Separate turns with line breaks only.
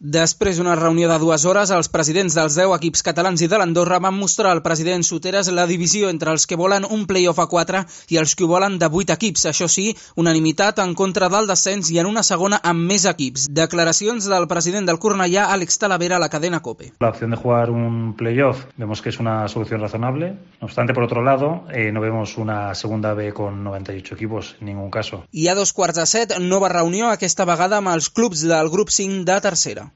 Després d'una reunió de 2 hores, els presidents dels 10 equips catalans i de l'Andorra van mostrar al president Soteras la divisió entre els que volen un play-off a 4 i els que ho volen de 8 equips. Això sí, unanimitat en contra del descens i en una segona amb més equips. Declaracions del president del Cornellà, Àlex Talavera, a la cadena COPE.
La opción de jugar un play-off vemos que es una solución razonable. No obstante, por otro lado, no vemos una segunda B con 98 equipos en ningún caso.
I a 7:15, nova reunió, aquesta vegada amb els clubs del grup 5 de tercera.